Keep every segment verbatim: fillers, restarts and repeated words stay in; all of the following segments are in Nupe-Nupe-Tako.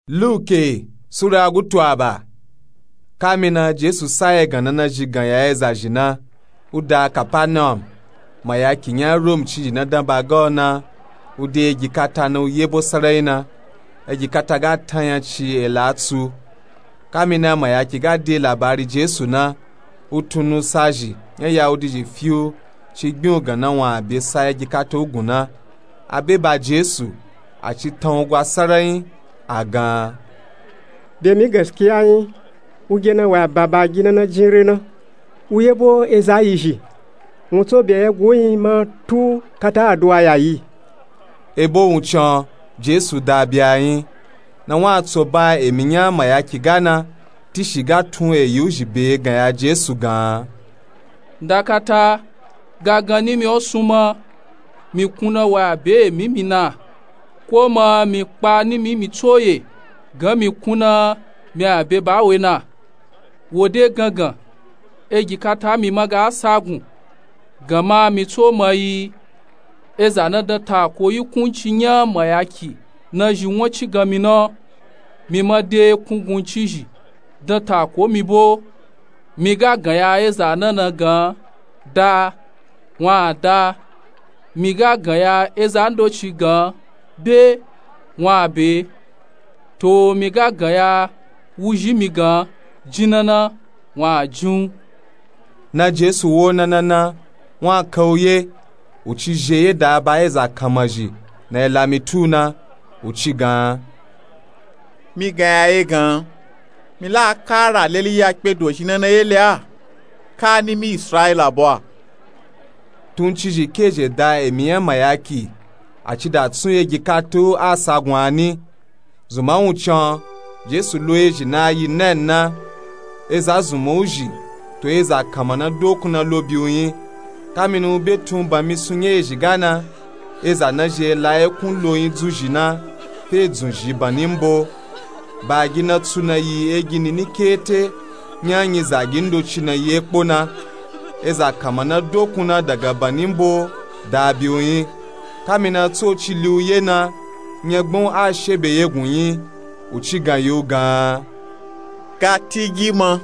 Luke sura gutu aba. Kamina Jesu sa egana na zhi gan ya eza zhi na, u da Kapanawum. Mayaki nya Rom ci zhi na dan ba ga o na, u de egi kata na u yebo sarai na. Egi kata ga tanya ci ela tsu. Kamina mayaki ga de labari Jesu na, u tunu sa zhi nya Yahudi zhi fiu ci gbin u gan na wun a be sa egi kata u gun na. A be ba Jesu, a ci tan u gwa sarai, a gan. Be mi gaskiya nyi, u ge na wa ba ba gi na na jin re na, u yebo eza yi zhi, wun tso be ya gu nyi ma tu kata aduwa ya yi. Ebo wun can Jesu da be a nyi, na wun a tso ba emi nya mayaki ga na, tishi ga tun eyi u zhi be gan ya Jesu gan. Nda kata, ga gan nimi o sun ma, mi kun na wa be emi mi na, ko ma mi kpa nimi mi tso ye, gan mi kun na mi a be ba we na. Wo de gangan, egi kata mi ma ga sa gun, gan ma mi tso ma yi, eza na dan tako yi kun ci nya mayaki na zhi won ci gan mi na, mi ma de kun gun ci zhi dan tako mi bo. Mi ga gan ya eza na na gan, da, wun a da. Mi ga gan ya eza ndoci gan, be, wun a be. To mi ga gan ya wuzhi mi gan, jin na na, wun a jin u. Na Jesu wo na na na, wun a ka u ye, u ci zhe ye da ba eza kanma zhi na ela mi tu na, u ci gan. Mi gan ya ye gan, mi la kara leli ya kpe do zhi na na ye le a, ka nimi Israila bo a. Tun ci zhi ke zhe da emi nya mayaki, a ci da tsun egi kata u a sa gun a ni. Zunma wun can, Jesu lo ezhi na yi na na, eza zunma u zhi, to eza kanma na dokun na lo bi u nyi. Kamina u be tun ban mi sun nya ezhi ga na, eza na zhi ela ye kun lo nyi dzuzhi na, fe dzun zhi ban ni mbo. Ba gi na tsu na yi egi nini kete, nya nyi zagi ndoci na yi ekpo na. Eza kanma na dokun na daga ban ni mbo da bi u nyi. Kamina tso ci li u ye na, nya gbon a shebe ye gun nyi, u ci gan yi u gan. Ka ti gi ma.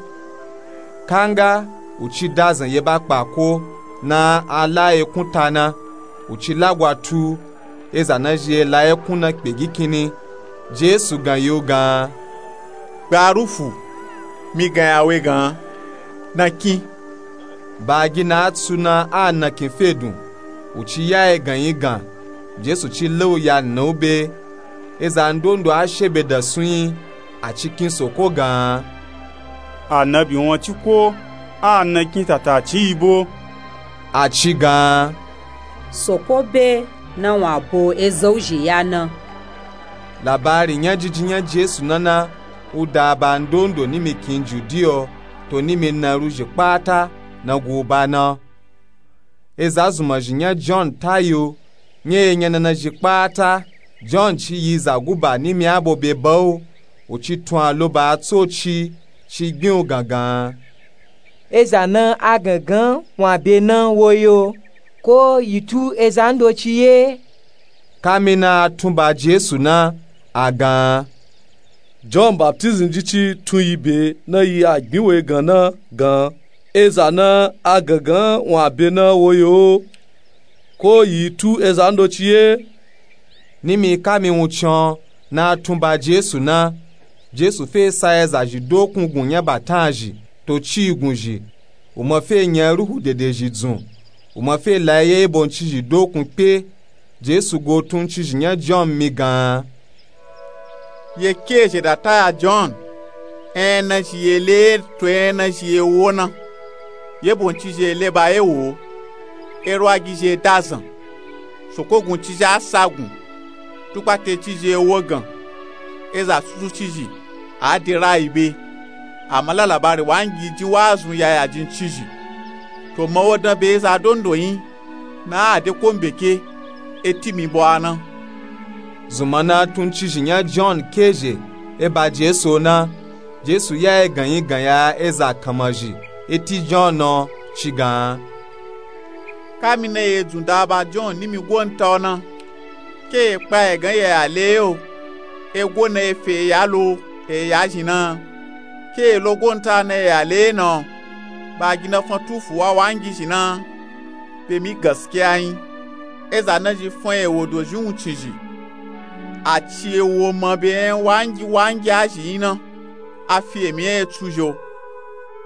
Kanga, u ci da zan ye ba kpa ko, na a la ye kun ta na, u ci lagwa tu, eza na zhi ela ye kun na kpe gi kinni. Jesu gan yi u gan. Gba Rufu, mi gan ya we gan, na kin. Ba gi na a tsu na a na kin fe dun, u ci ya ye gan yi gan, Jesu ci le u ya na u be. Eza ndondo a shebe da sun nyi, a ci kin soko gan. Anabi won ci ko, a na kin tata ci yi bo. A ci gan. Soko be na wun a bo eza u zhi ya na. Labari nya jiji nya Jesu na na, u da ba ndondo nimi kin Judiya, to nimi na ru zhi kpata, na gu ba na. Eza zunma zhi nya Jon ta yi u, nya ye nya na na zhi kpata, Jon ci yi za guba nimi a bo be ba u, u ci tun a lo ba a tso ci, ci gbin u gan gan. Eza na a gan gan wun a be na wo yi o, ko yi tu eza ndoci ye? Kamina a tun ba Jesu na, a gan. Jon baptizim ji ci tun yi be na yi a gbin we gan na gan, eza na a gan gan wun a be na wo yi o, ko yi tu eza ndoci ye? Nimi kami wun can na a tun ba Jesu na, Jesu fe sa eza zhi dokun gun nya batan zhi, to ci gun zhi, u ma fe nya Ruhu Dede zhi dzun, u ma fe la ye ye bo nci zhi dokun kpe. Jesu go tun nci zhi nya Jon mi gan. Ye ke zhe da ta ya Jon, en na zhi ye le to en na zhi ye wo na. Ye bo nci zhi ye le ba ye wo, erwa gi zhi ye da zan, soko gun ci zhi a sa gun, tukpate ci zhi ye wo gan, eza susu ci zhi a de ra yi be, a ma la labari wangi ji wa zun ya ya ji nci zhi. To ma wo dan be eza dondo nyi, na a de ko mbeke, e ti mi bo a na. Zunma na tun nci zhi nya Jon ke zhe e ba Jesu o na, Jesu ya ye gan yi gan ya eza kanma zhi e ti Jon o, ci gan. Kamina ye dzun da ba Jon nimi go nta o na, ke ye kpa ye gan ye ya le ye o. Ego na efe eya lo, eya zhi na. Ke elo gonta na eya le na, ba gi na fan tufu wa wangi zhi na. Be mi gaskiya yin, eza na zhi fan ewo dozhi wuncin zhi. A ci ewo ma be yan wangi wangi a zhi yin na, a fi emi yan etsu zhi o.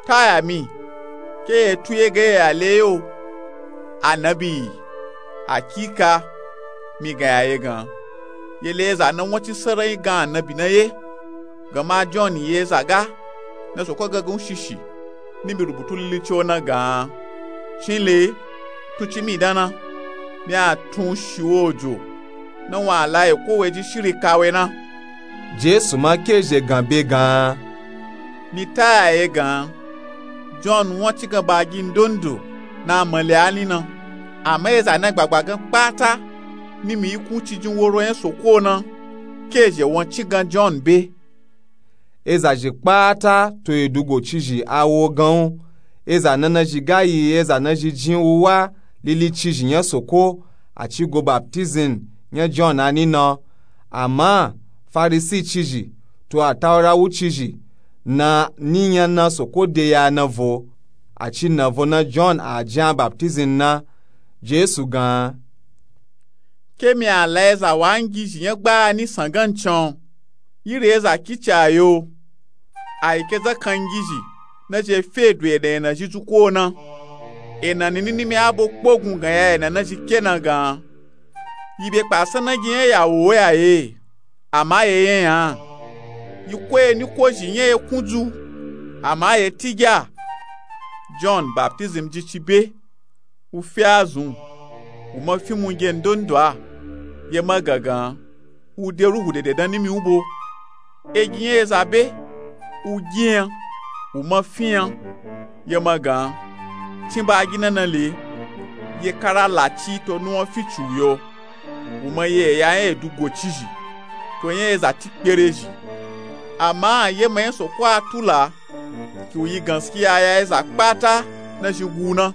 Taya mi, ke etu ye ga eya le yo. Anabi yi, akika, mi gan ya ye gan. Ye le eza na wancin sarayin gan anabi na ye. Gama John ye eza ga na soko gangan shishi, ni mi rubutu lilici o na gan. Cin le, tun ci mi dan na, mi a tun shi wo ojo, na wa la eko we ji shiri ka we na. Jesu ma ke zhe gan be gan. Mi taya ye gan. John wancin gan ba gi ndondo na a male a ni na. Ama eza na gbagba gan kpata, ni mi yi kun ci jin woro yan soko na, ke zhe wancin gan John be. Eza zhi kpata to edugo ci zhi a wo gan u. Eza na na zhi ga yi eza na zhi jin wuwa lilici zhi yan soko, a ci go baptism yan John a ni na. Ama Farisi ci zhi to atawura wu ci zhi na ni yan na soko de ya na vo, a ci na vo na John a jin a baptism na. Jesu gan. Ke mi a la eza wangi zhi yan gba a ni san gan can, yiri eza kici a yo. A yi ke zakan gi zhi na zhi fe du ena ena zhi dzuko na. Ena ni ni ni mi a bo kpogun gan ya ena na zhi ke na gan. Yi be kpa san na gi yan ya wo ya ye, ama ye yan ya. Yi ko ye ni ko zhi yan ye kun dzu, ama ye ti gya. John baptism ji ci be. U fi a zun, u ma fi munge ndondo a, ye ma gangan, u de ruhu dede dan ni mi u bo. Egi yan eza be, u gi yan, u ma fi yan, ye ma gan. Cin ba gi na na le, ye kara la ci to nuwan fi ci u yo. U ma ye eya yan edugo ci zhi, to yan eza ti kpere zhi. Ama ye ma yan soko a tula, ki u yi ganskiya ya eza kpata na zhi gu na.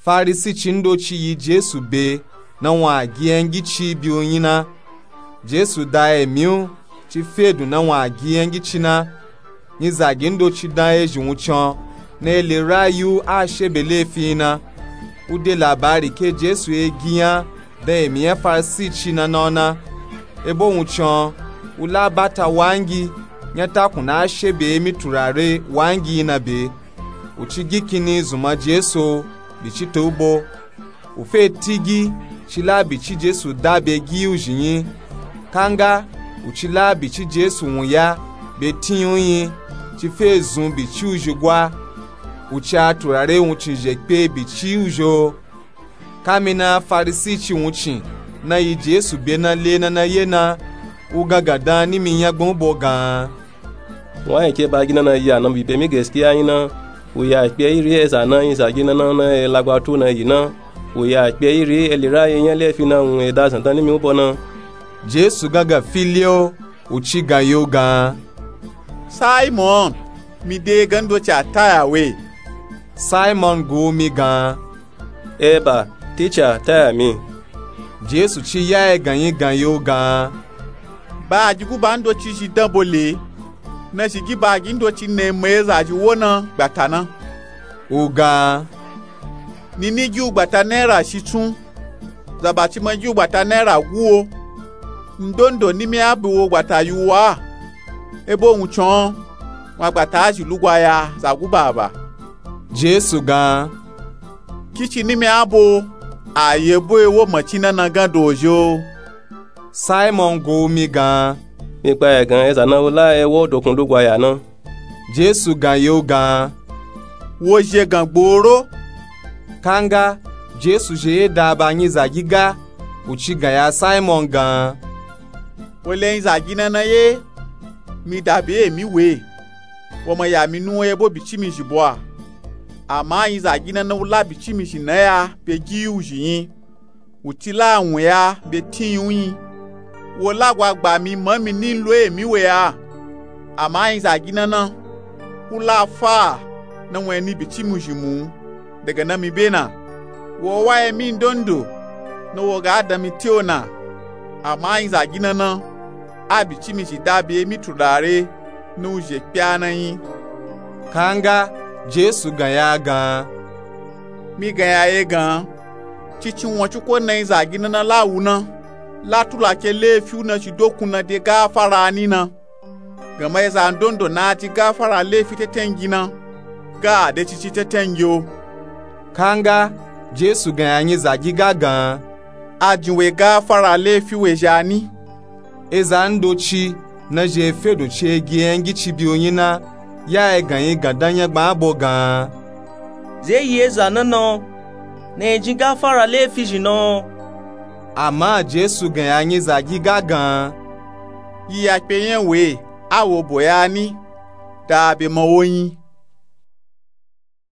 Farisi ci ndoci yi Jesu be na wa gi yan gi ci bi u yin na. Jesu da emi u ci fe du na wa gi yan gi ci na. Nyizagi ndoci dan ezhi wuncin na ele rayi u a she be lefi yin na. U de labari ke Jesu ye gi yan dan emi yan Farisi ci na na u na. Ebo wuncin u la bata wangi yan takun na a she be emi turare wangi yin na be. U ci gi kini zunma Jesu o, bici to u bo. U fe ti gi, ci la bici Jesu da be gi u zhi yin. Kanga, u ci la bici Jesu wunya be tin yin u yin, ci fe zun bici u zhi gwa. U ci a turare wuncin zhe kpe bici u zhi o. Kamina Farisi ci wuncin na yi Jesu be na le na na ye na, u gangan dan ni mi yan gbon u bo gan. Wa yan ke ba gi na na yi anabi be mi gaskiya yin na, u ya kpe iri eza na nyizagi na na na e lagba tu na yi na, u ya kpe iri eli rayi yan lefi na wun e da zan dan ni mi u bo na. Jesu gangan fi le o, u ci gan yi u gan. Simon, mi de gan ndoci a taya we. Simon gu u mi gan. Eba, Ticha, taya mi. Jesu ci ya egan yin gan yi u gan. Ba a gi guba ndoci zhi dan bo le, na zhi gi ba a gi ndoci na e ma eza zhi wo na gbata na. U gan. Ni ni gi u gbata naira shitsun, zaba ci ma gi u gbata naira gu o. Ndondo ni mi a bi wo gbata yi u wa. Ebo wuncin o, wa gbata a zhi lugwa ya za guba ba. Jesu gan. Kici ni mi a bo, a ye bo ewo macin na na gan dozhi o. Simon gu u mi gan. Mi kpa ya gan eza na u la ewo dokun lugwa ya na. Jesu gan yi u gan. Wo zhe gan gboro. Kanga, Jesu zhe ye da ba nyizagi ga, u ci gan ya Simon gan. Wo le nyizagi na na ye, mi da be emi we. Wo ma ya mi nuwan ye bo bici mi zhi bo a. Ama nyizagi na na u la bici mi zhi na ya be gi u zhi yin. U ci la wun ya be tin yin u yin. Wo lagwa gba mi ma mi ni lo emi we a. Ama nyizagi na na, u la fa na wun e ni bici mi zhi mu daga na mi be na. Wo wa emi ndondo na wo ga dan mi ti o na. Ama nyizagi na na, a bi ci mi zhi da be mi turare ni wuzhe kpe a na nyi. Kanga jesu gan ya gan. Mi gan ya ye gan. Cici won cuko na nyi zagi na na la wu na, la tula ke lefi wu na zhi dokun na de gafara ni na. Gama eza ndondo na a ji gafara lefi tetengi na, ga a de cici tetengi o. Kanga jesu gan ya nyi zagi ga gan. A jin we gafara lefi we zha ni. Eza ndoci na zhi e fe do ci e gi e yangi ci bi o nyi na, ya e gan yi gan dan nyangban abo gan. Ze yi eza na na o, na e jin gafara lefi zhi na o. Ama jesu gan ya nyi zagi ga gan. Yi ya kpe nya we, a wo bo ya ni, da be ma wo nyi.